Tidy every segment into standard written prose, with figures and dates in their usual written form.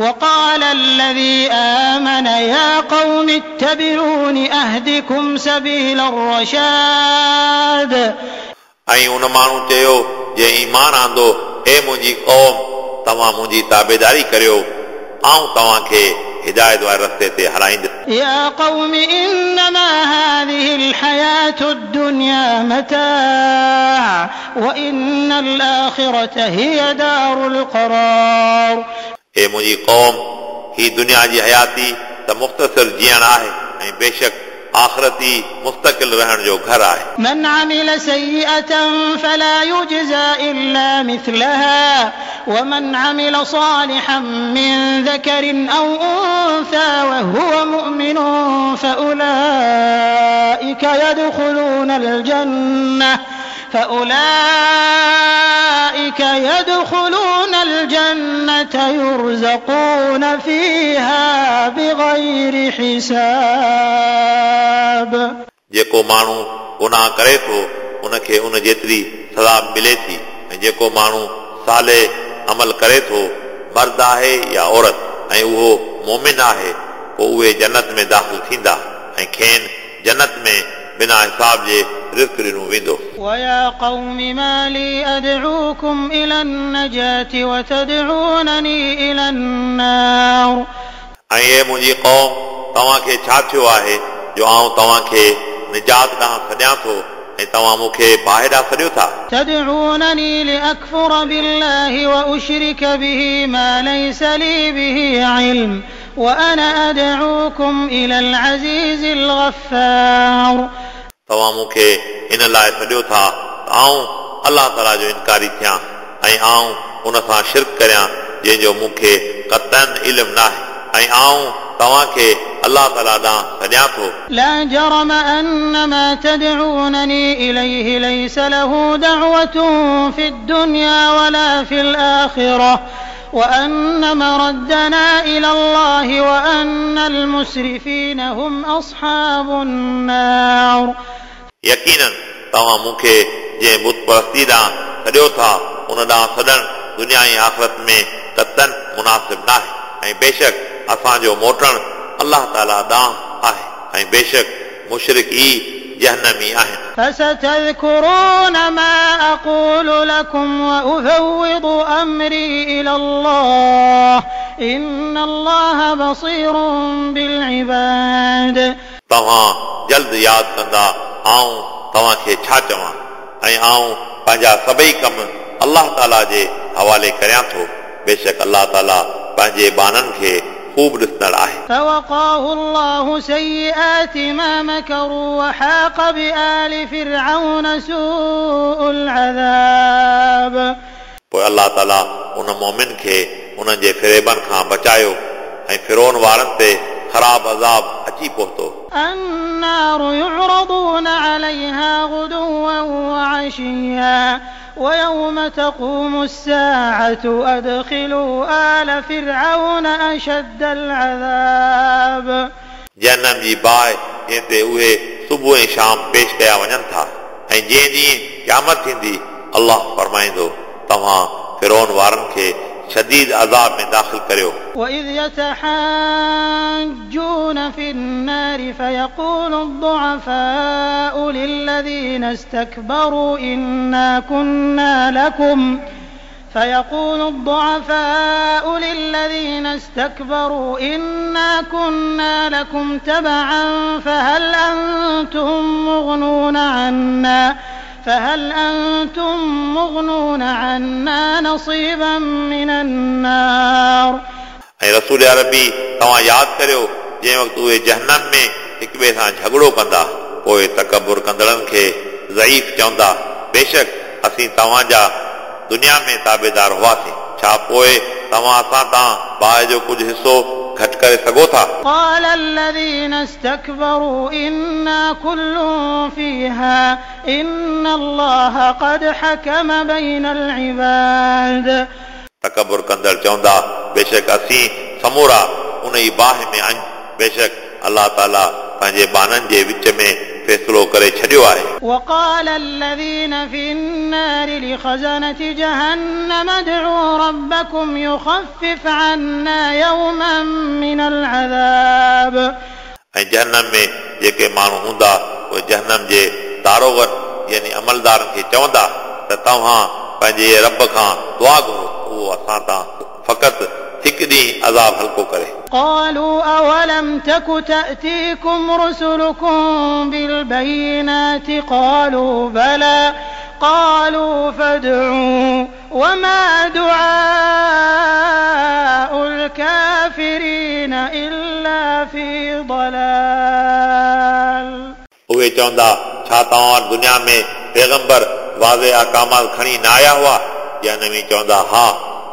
وقال الذي آمن يا قوم اتبعون أهدكم سبيل الرشاد. ऐं उन माण्हू चयो जंहिं ईमान आंदो, हे मुंहिंजी क़ौम, तव्हां मुंहिंजी ताबेदारी करियो, आऊं तव्हांखे हिदायत वारे रस्ते ते हलाईंदुसि। يا قوم إنما هذه الحياة الدنيا متاع وإن الآخرة هي دار القرار. हे मुंहिंजी क़ौम, ही दुनिया जी हयाती त मुख़्तसिर जीअण आहे ऐं बेशक आख़िरत ई मुस्तकिल रहण जो घर आहे। من عمل سيئة فلا يجزى إلا مثلها ومن عمل صالحا من ذكر أو أنثى وهو مؤمن فأولئك يدخلون الجنة فأولئك يدخلون الجنة يرزقون فيها بغير حساب. जेको माण्हू गुनाह करे थो उनखे उन जेतिरी सज़ा मिले थी, ऐं जेको माण्हू साले अमल करे थो, मर्द आहे या औरत, ऐं उहो मोमिन आहे, पोइ उहे जन्नत में दाख़िल थींदा ऐं खेनि जन्नत में बिना हिसाब जे रिज़्क ॾिनो वेंदो। ويا قوم ما لي أدعوكم إلى النجاة وتدعونني إلى النار. ऐं हे मुंहिंजी क़ौम, तव्हांखे छा थियो आहे जो आऊं तव्हांखे निजात ॾांहुं सॾियां थो ऐं तव्हां मूंखे बाहि ॾांहुं सॾियो था? تدعونني لأكفر بالله وأشرك به ما ليس لي به علم وأنا أدعوكم إلى العزيز الغفار. तव्हां मूंखे इन लाइ सॾियो था त आऊं अलाह ताला जो इनकारी थियां ऐं आऊं उन सां शिरक करियां जंहिंजो मूंखे क़तन इल्मु न आहे, ऐं आऊं तव्हांखे अलाह ताला ॾांहुं सॾियां थो। لا جرم أن ما تدعونني إليه ليس له دعوة في الدنيا ولا في الآخرة وأن مردنا إلى الله وأن المسرفين هم أصحاب النار. यकीनन तव्हां मूंखे जंहिं बुत परस्ती ॾांहुं सॾियो था उन ॾांहुं सॾणु दुनिया ऐं आख़िरत में क़तन मुनासिब न आहे, ऐं बेशक असांजो मोटणु अलाह ताला ॾांहुं आहे, ऐं बेशक मुशरिक ई जहनमी आहिनि। فستذكرون ما أقول لكم وأفوض أمري إلى الله إن الله بصير بالعباد. तव्हां जल्द यादि कंदा आऊं तव्हांखे छा चवां, ऐं आऊं पंहिंजा सभई कम अलाह ताला जे हवाले करियां थो। बेशक अलाह ताला पंहिंजे ॿाननि खे ख़ूब ॾिसंदड़ आहे। فوقاه الله سيئات ما مكروا وحاق بآل فرعون سوء العذاب. पोइ अलाह ताला उन मोमिन खे उन्हनि जे फिरेबनि खां बचायो ऐं फिरोन वारनि ते ख़राब अज़ाब अची पहुतो। النار يعرضون عليها غدوا وعشيا ويوم تقوم الساعة أدخلوا آل فرعون أشد العذاب. जहनम जी बाहि जंहिं ते उहे सुबुह ऐं शाम पेश कया वञनि था, ऐं जंहिं ॾींहुं क़यामत थींदी अलाह फरमाईंदो तव्हां फिरोन वारनि खे शदीद अज़ाब में दाख़िल करियो। وإذ يتحاجون في النار فيقول الضعفاء للذين استكبروا إنا كنا لكم فيقول الضعفاء للذين استكبروا إنا كنا لكم تبعا فهل أنتم مغنون عنا نصيبا من النار. ऐं रसूल अरबी तव्हां यादि करियो जंहिं वक़्तु उहे जहनम में हिक ॿिए सां झगड़ो कंदा, पोइ तकबुर कंदड़नि खे ज़ईफ़ चवंदा, बेशक असीं तव्हांजा दुनिया में ताबेदार हुआसीं, छा पोइ तव्हां असां तां बाहि जो कुझु हिसो घटि करे सघो था? قال الذين استكبروا إنا كل فيها إن الله قد حكم بين العباد. तकबुर कंदड़ चवंदा बेशक असीं समूरा उन ई बाहि में आहियूं, बेशक अलाह ताला पंहिंजे ॿाननि जे विच में फ़ैसिलो करे छॾियो आहे। وقال الذين في النار لخزنة جهنم ادعوا ربكم يخفف عنا يوما ऐं जहनम में जेके माण्हू हूंदा उहे जहनम जे दारोगनि यानी अमलदारनि खे चवंदा त तव्हां पंहिंजे रब खां दुआ घुरो उहो असां तां फ़क़ति हिकु ॾींहुं अज़ाब हल्को करे। قالوا أولم تك تأتيكم رسلكم بالبينات قالوا بلى قالوا فادعوا وما دعاء الكافرين إلا في ضلال। उहे चवंदा छा तव्हां वटि दुनिया में पैगंबर वाज़े अहकामात खणी न आया हुआ? जहनमी चवंदा हा।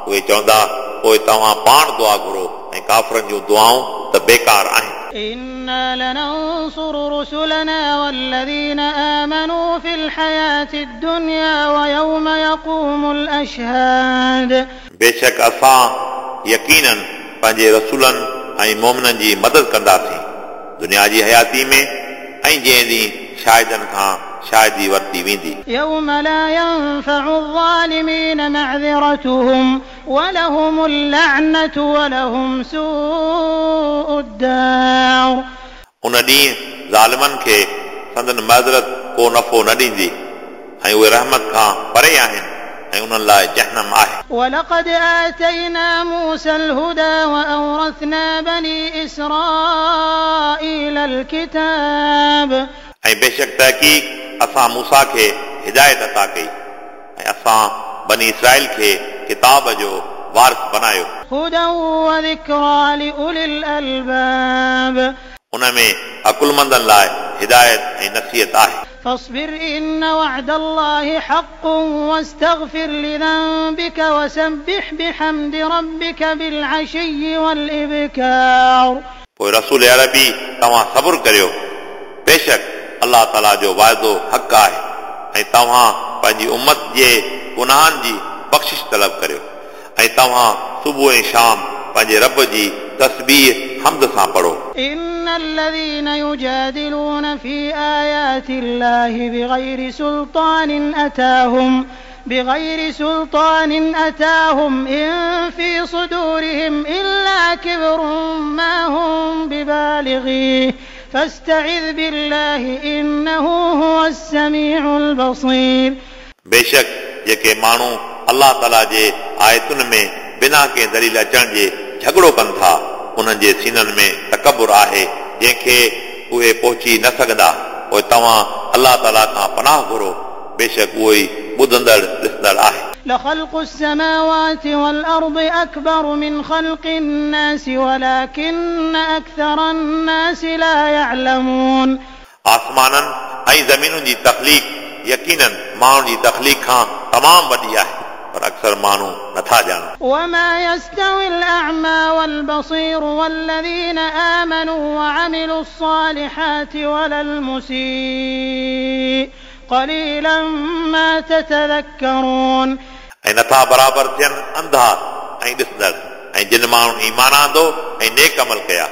उहे चवंदा पोइ तव्हां पाण दुआ घुरो ऐं काफ़रनि जूं दुआऊं त बेकार आहिनि। إنا لننصر رسلنا والذين آمنوا في الحياة الدنيا ويوم يقوم الأشهاد। बेशक असां यकीनन पंहिंजे रसूलनि ऐं मोमिननि जी मदद कंदासीं दुनिया जी हयाती में ऐं जंहिं ॾींहुं शाहिदनि खां शाहिदी वरिती वेंदी। يوم لا ينفع الظالمين معذرتهم ولهم اللعنة ولهم سوء الدار। उन ॾींहुं ज़ालिमनि खे संदन माज़रत को नफ़ो न ॾींदी ऐं उहे रहमत खां परे आहिनि ऐं उन्हनि लाइ जहनम आहे। ولقد آتينا موسى الهدى وأورثنا بني إسرائيل الكتاب। ऐं बेशक तहक़ीक़ असां मूसा खे हिदायत अता कई ऐं असां बनी इसराईल खे किताब जो वारिस बनायो। هدى وذكرى لأولي الألباب। उन में अकुलमंदनि लाइ हिदायत ऐं नसीहत आहे। فاصبر إن وعد الله حق واستغفر لذنبك وسبح بحمد ربك بالعشي والإبكار। पोइ रसूल अरबी तव्हां सब्र करियो, बेशक अलाह ताला जो वाइदो हक़ आहे ऐं तव्हां पंहिंजी उम्मत जे गुनाहनि जी बख़्शिश तलब करियो ऐं तव्हां सुबुह ऐं शाम पंहिंजे रब जी तस्बीह हम्द सां पढ़ो। إن الذين يجادلون في آيات الله بغير سلطان أتاهم إن في صدورهم إلا كبر ما هم ببالغيه فاستعذ بالله إنه هو السميع البصير। बेशक जेके माण्हू अलाह ताला जे आयतुनि में बिना कंहिं दलील अचण जे झगड़ो कनि था उन्हनि जे सीननि में तकबुर आहे जंहिंखे उहे पहुची न सघंदा। पोइ तव्हां अलाह ताला खां पनाह घुरो, बेशक उहो ई ॿुधंदड़ ॾिसंदड़ आहे। لخلق السماوات والأرض أكبر من خلق الناس ولكن أكثر الناس لا يعلمون। आसमाननि ऐं ज़मीनुनि जी तख़लीक़ यकीनन माण्हुनि जी तख़लीक़ खां तमामु वॾी आहे पर अक्सर माण्हू नथा ॼाणनि। وما يستوي الأعمى والبصير والذين آمنوا وعملوا الصالحات ولا المسيء قليلا ما تتذكرون। ऐं नथा बराबरि थियनि अंधा ऐं ॾिसंदड़ ऐं जिन माण्हुनि ईमान आंदो ऐं नेक अमल कया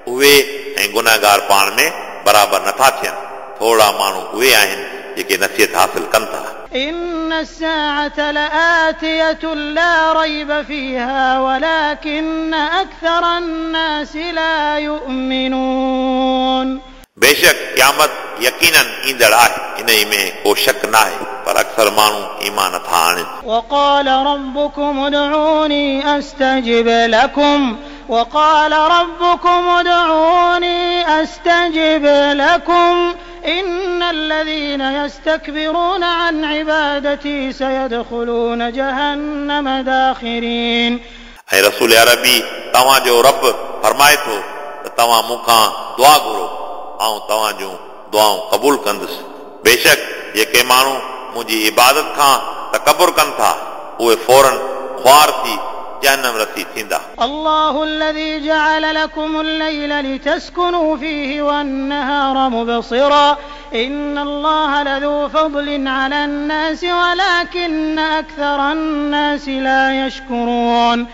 उहे ऐं गुनाहगार पाण में बराबरि नथा थियनि। थोरा माण्हू उहे आहिनि जेके नसीहत हासिल कनि था। إن الساعة لآتية لا ريب فيها ولكن أكثر الناس لا يؤمنون। बेशक क़यामत यकीनन ईंदड़ आहे, इन में को शक न आहे, पर अक्सर माण्हू ईमान नथा आणनि। وقال ربكم ادعوني أستجب لكم وقال ربكم ادعوني أستجب لكم إن الذين يستكبرون عن عبادتي سيدخلون جهنم داخرين। ऐं रसूल अरबी तव्हांजो रब फरमाए थो त तव्हां मूंखां दुआ घुरो, आउं तव्हां जूं दुआऊं क़बूल कंदुसि। बेशक जेके माण्हू मुंहिंजी इबादत खां तकबुर कनि था उहे फ़ौरन ख़्वार थी जहनम रसी थींदा। الله الذي جعل لكم الليل لتسكنوا فيه والنهار مبصرا إن الله لذو فضل على الناس ولكن أكثر الناس لا يشكرون।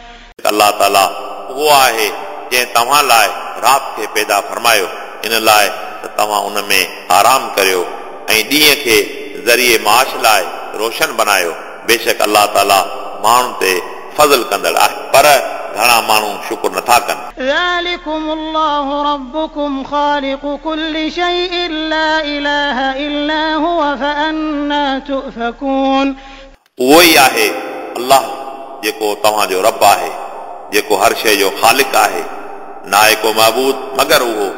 अलाह ताला उहो आहे जंहिं तव्हां लाइ राति खे पैदा फरमायो इन लाइ त तव्हां उन में आराम करियो ऐं ॾींहं खे ज़रिए माश लाइ रोशन बनायो। बेशक अलाह ताला माण्हुनि ते फज़ल कंदड़ आहे पर घणा माण्हू शुक्र नथा कनि। ذلكم الله ربكم خالق كل شيء لا إله إلا هو فأنى تؤفكون. उहो ई आहे अलाह जेको तव्हांजो रब आहे, जेको हर शइ जो ख़ालिक आहे। नाहे को महबूद मगर उहो,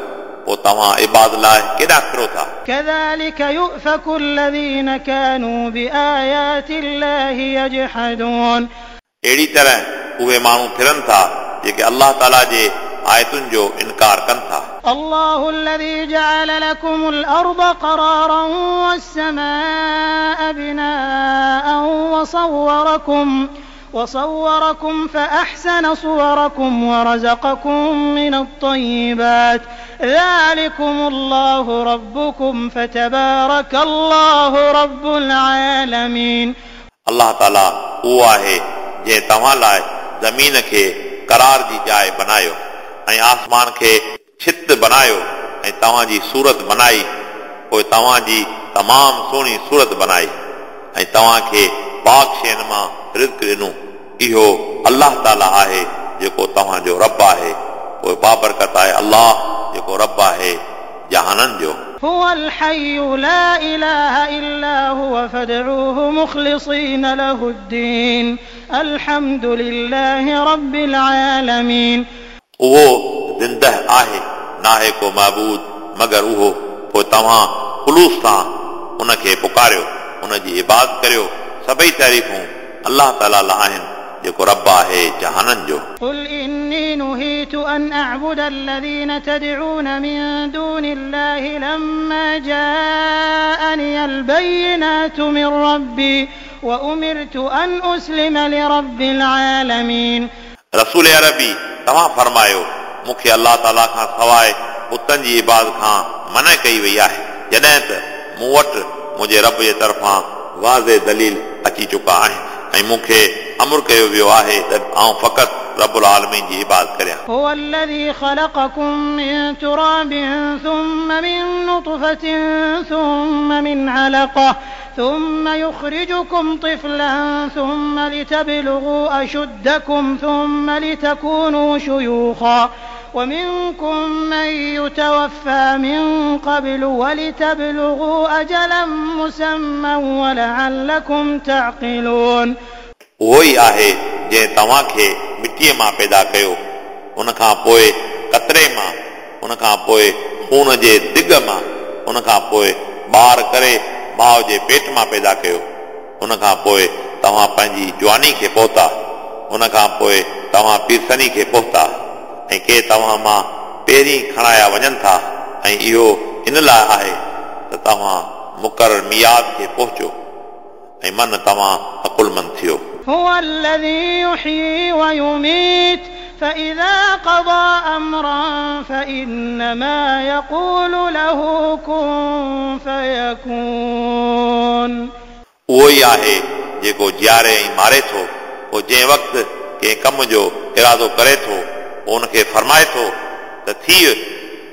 पोइ तव्हां इबाद लाइ केॾां फिरो था? كذلك يؤفك الذين كانوا بآيات الله يجحدون. अहिड़ी तरह उहे माण्हू फिरनि था जेके अलाह ताला जे आयतुनि जो इनकार कनि था। الله الذي جعل لكم الأرض قرارا والسماء بناء وصوركم فأحسن صوركم ورزقكم من الطيبات ذلكم الله ربكم فتبارك الله رب العالمين. अलाह ताला उहो आहे जंहिं तव्हां लाइ ज़मीन खे करार जी जाइ बनायो ऐं आसमान खे छित बनायो ऐं तव्हांजी सूरत बनाई, पोइ तव्हांजी तमामु सुहिणी सूरत बनाई ऐं तव्हांखे पाक शयुनि मां रिज़्क ॾिनो। इहो अलाह ताला आहे जेको तव्हांजो रब आहे, पोइ बाबरकत आहे अलाह जेको रब आहे जहाननि जो। هو الحي لا إله إلا هو فادعوه مخلصين له الدين الحمد لله رب العالمين. उहो ज़िंदह आहे, नाहे को महबूद मगर उहो, पोइ तव्हां ख़ुलूस सां उनखे पुकारियो, उनजी इबादत करियो। सभई तारीफ़ूं अलाह ताला लाइ आहिनि जेको रब आहे जहाननि जो। قل إني نهيت أن أعبد الذين تدعون من دون الله لما جاءني البينات من ربي وأمرت أن أسلم لرب العالمين. रसूल अरबी तव्हां फरमायो, मूंखे अलाह ताला खां सवाइ बुतनि जी इबादत खां मना कई वई आहे, जॾहिं त मूं वटि मुंहिंजे रब जे तरफ़ां वाज़े दलील अची चुका आहिनि ऐं मूंखे अमर कयो वियो आहे त आउं फ़क़ति रबुल आलमीन जी इबादत करियां। هو الذي خلقكم من تراب ثم من نطفة ثم من علقة ثم يخرجكم طفلا ثم لتبلغوا أشدكم ثم لتكونوا شيوخا ومنكم من يتوفى من قبل ولتبلغوا أجلا مسمى ولعلكم تعقلون. उहो ई आहे जंहिं तव्हांखे मिटीअ मां पैदा कयो, उन खां पोइ कतरे मां, उन खां पोइ खून जे दिग मां, उन खां पोइ ॿार करे माउ जे पेट मां पैदा कयो, उन खां पोइ तव्हां पंहिंजी जवानी खे पहुता, उन खां पोइ तव्हां पीरसनी खे पहुता ऐं के तव्हां मां पहिरीं खणाया वञनि था ऐं इहो इन लाइ आहे त तव्हां मुक़ररु मियाद खे पहुचो ऐं मन तव्हां अकुलमंद थियो। هو الذي يحيي ويميت فإذا قضى أمرا فإنما يقول له كن فيكون. उहो ई आहे जेको जीआरे ऐं मारे थो, पोइ जंहिं वक़्तु कंहिं कम जो इरादो करे थो पोइ उनखे फरमाए थो त थी,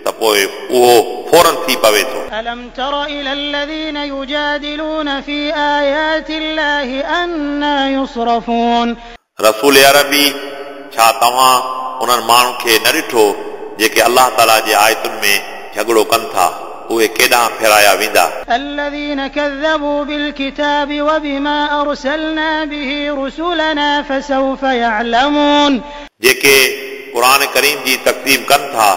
त पोइ उहो फ़ौरन थी पवे थो। ألم تر إلى الذين يجادلون في آيات الله أنى يصرفون. रसूल अरबी, छा तव्हां उन्हनि माण्हुनि खे न ॾिठो जेके अलाह ताला जे आयतुनि में झगड़ो कनि था, उहे केॾांहुं फेराया वेंदा? الذين كذبوا بالكتاب وبما أرسلنا به رسلنا فسوف يعلمون. जेके क़ुर करीम जी तक़दीम कनि था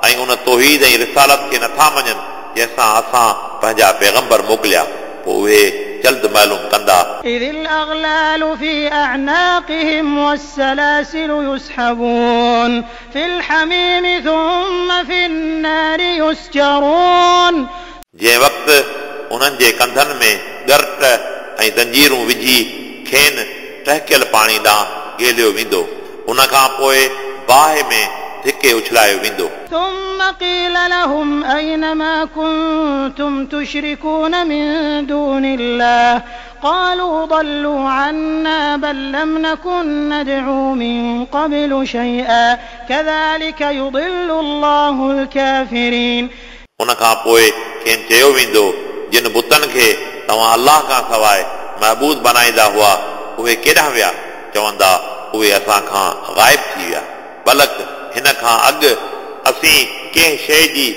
ऐं उन तौहीद ऐं रिसालत खे नथा मञनि जंहिंसां असां पंहिंजा पैगंबर मोकिलिया, पोइ उहे जल्द मालूम कंदा। إذ الأغلال في أعناقهم والسلاسل يسحبون في الحميم ثم في النار يسجرون. जंहिं वक़्तु उन्हनि जे कंधनि में ॻरट ऐं ज़ंजीरूं विझी खेनि टहकियल पाणी ॾांहुं ॻेलियो वेंदो, उन खां पोइ बाहि में धिके उछलायो वेंदो। ثم قيل لهم أين ما كنتم تشركون من دون الله قالوا ضلوا عنا بل لم نكن ندعو من قبل شيئا كذلك يضل الله الكافرين. उन खां पोइ खेनि चयो वेंदो, जिन बुतनि खे तव्हां अलाह खां सवाइ महबूद बनाईंदा हुआ उहे केॾांहुं विया? चवंदा उहे असां खां ग़ाइब थी विया, बल्कि हिन खां अॻु असीं कंहिं शइ जी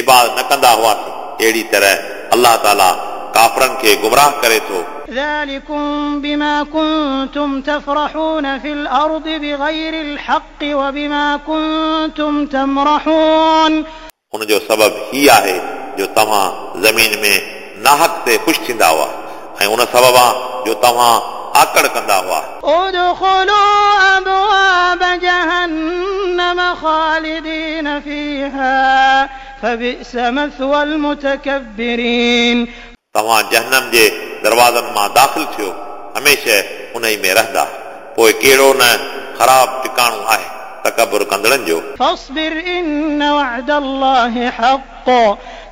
इबादत न कंदा हुआसीं। अहिड़ी तरह अलाह ताला काफ़रनि खे गुमराह करे थो। ذلكم بما كنتم تفرحون في الأرض بغير الحق وبما كنتم تمرحون। उनजो सबबु ही आहे जो तव्हां ज़मीन में नाहक ते ख़ुशि थींदा हुआ ऐं उन सबबा जो तव्हां आकड़ कंदा हुआ। ادخلوا أبواب جهنم خالدين فيها فبئس مثوى المتكبرين। तव्हां जहनम जे दरवाज़नि मां दाख़िल थियो, हमेशह उन ई में रहंदा, पोइ कहिड़ो न ख़राब टिकाणो आहे तकबुर कंदड़नि जो। فاصبر إن وعد الله حق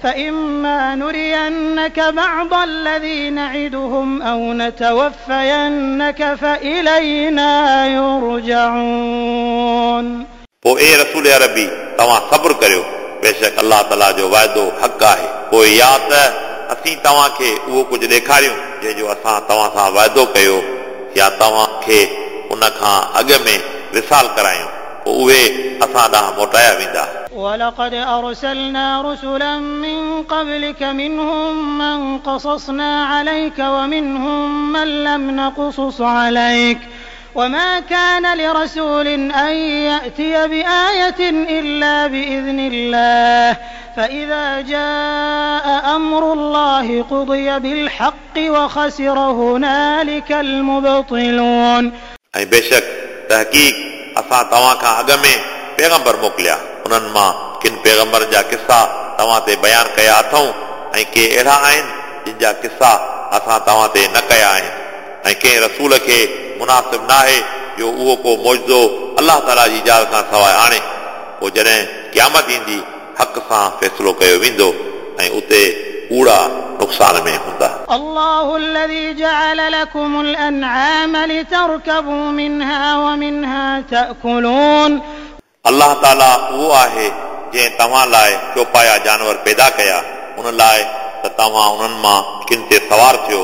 فإما نرينك بعض الذي نعدهم أو نتوفينك فإلينا يرجعون। पोइ ए रसूल अरबी, तव्हां सब्र करियो, बेशक अलाह ताला जो वाइदो हक़ आहे। पोइ या त असीं तव्हांखे उहो कुझु ॾेखारियूं जंहिंजो असां तव्हां सां वाइदो कयो, या तव्हांखे उन खां अॻु में विसाल करायूं, पोइ उहे असां ॾांहुं मोटाया वेंदा। ولقد أرسلنا رسلا من قبلك منهم من قصصنا عليك ومنهم من لم نقصص عليك وما كان لرسول أن يأتي بآية إلا بإذن الله فإذا جاء أمر الله قضي بالحق وخسر هنالك المبطلون। ऐं बेशक तहक़ीक़ असां तव्हां खां अॻु में पैगंबर मोकिलिया, उन्हनि मां किन पैगंबरनि जा किस्सा तव्हां ते बयानु कया अथऊं ऐं के अहिड़ा आहिनि जिन जा किस्सा असां तव्हां ते न कया आहिनि। ऐं कंहिं रसूल खे मुनासिब न आहे जो उहो को मौजो अलाह ताला जी इजाज़त खां सवाइ आणे। पोइ जॾहिं क़यामत ईंदी हक़ सां फ़ैसिलो कयो वेंदो ऐं उते कूड़ा नुक़सान में हूंदा। الله الذي جعل لكم الأنعام لتركبوا منها ومنها تأكلون। अलाह ताला उहो आहे जंहिं तव्हां लाइ चौपाया जानवर पैदा कया, उन लाइ त तव्हां उन्हनि मां किन ते सवार थियो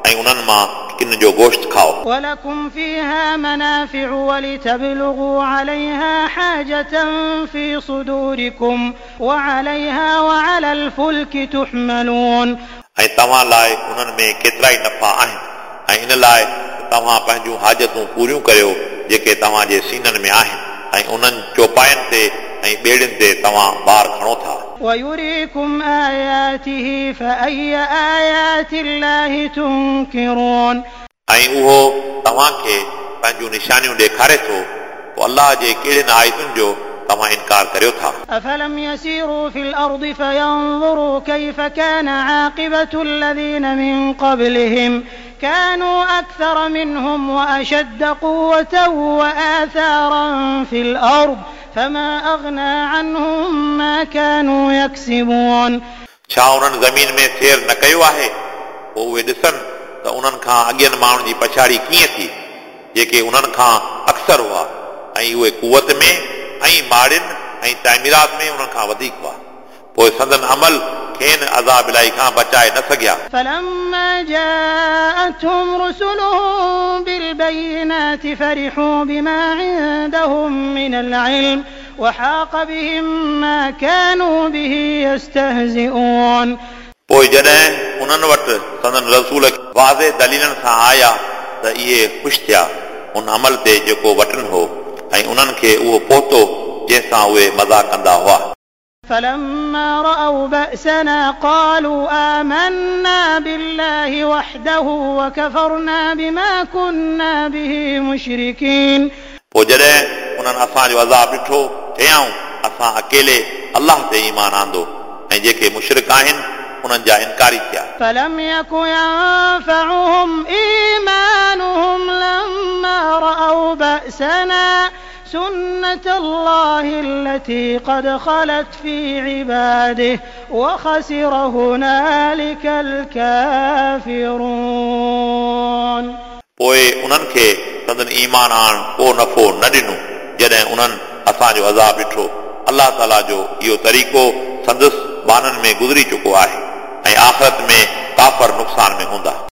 ऐं उन्हनि मां किन जो गोश्त खाओ। ولكم فيها منافع ولتبلغوا عليها حاجة في صدوركم وعليها وعلى الفلك تحملون। ऐं तव्हां लाइ उन्हनि में केतिरा ई नफ़ा आहिनि ऐं इन लाइ त तव्हां पंहिंजूं हाजतूं पूरियूं करियो जेके तव्हांजे सीननि में आहिनि ऐं उन्हनि चौपायनि ते ऐं ॿेड़ियुनि ते तव्हां ॿार खणो था। ويريكم آياته فأي آيات الله تنكرون। ऐं उहो तव्हांखे पंहिंजूं निशानियूं ॾेखारे थो, पोइ अलाह जे कहिड़ियुनि आयतुनि जो तव्हां इनकार करियो था। أفلم يسيروا في الأرض فينظروا كيف كان عاقبة الذين من قبلهم كانوا أكثر منهم وأشد قوة وآثارا في الأرض فما أغنى عنهم ما كانوا يكسبون। छा उन्हनि ज़मीन में सैर न कयो आहे? पोइ उहे ॾिसनि त उन्हनि खां अॻियनि माण्हुनि जी पछाड़ी कीअं थी, जेके उन्हनि खां अक्सर हुआ ऐं उहे कुवत में ऐं माड़ियुनि ऐं तामीरात में उन्हनि खां वधीक हुआ, पोइ संदन अमल खेनि अज़ाब इलाही खां बचाए न सघिया। فلما جاءتهم رسلهم بالبينات فرحوا بما عندهم من العلم وحاق بهم ما كانوا به يستهزئون। पोइ जॾहिं उन्हनि वटि संदन रसूल वाज़े दलीलनि सां आया त इहे ख़ुशि थिया उन अमल ते जेको वटनि हो ऐं उन्हनि खे उहो पहुतो जंहिंसां उहे मज़ा कंदा हुआ। فلما رأوا بأسنا قالوا آمنا بالله وحده وكفرنا بما كنا به مشركين। पोइ जॾहिं उन्हनि असांजो अज़ाब ॾिठो, चयाऊं असां अकेले अलाह ते ईमान आंदो ऐं जेके मुशरिक आहिनि उन्हनि जा इनकारी थिया। فلم يك ينفعهم إيمانهم لما رأوا بأسنا سنة الله التي قد خلت في عباده وخسر هنالك الكافرون। पोइ उन्हनि खे संदन ईमान आणण को नफ़ो न ॾिनो जॾहिं उन्हनि असांजो अज़ाब ॾिठो। अलाह ताला जो इहो तरीक़ो संदसि बाननि में गुज़री चुको आहे ऐं आख़िरत में काफ़र नुक़सान में हूंदा।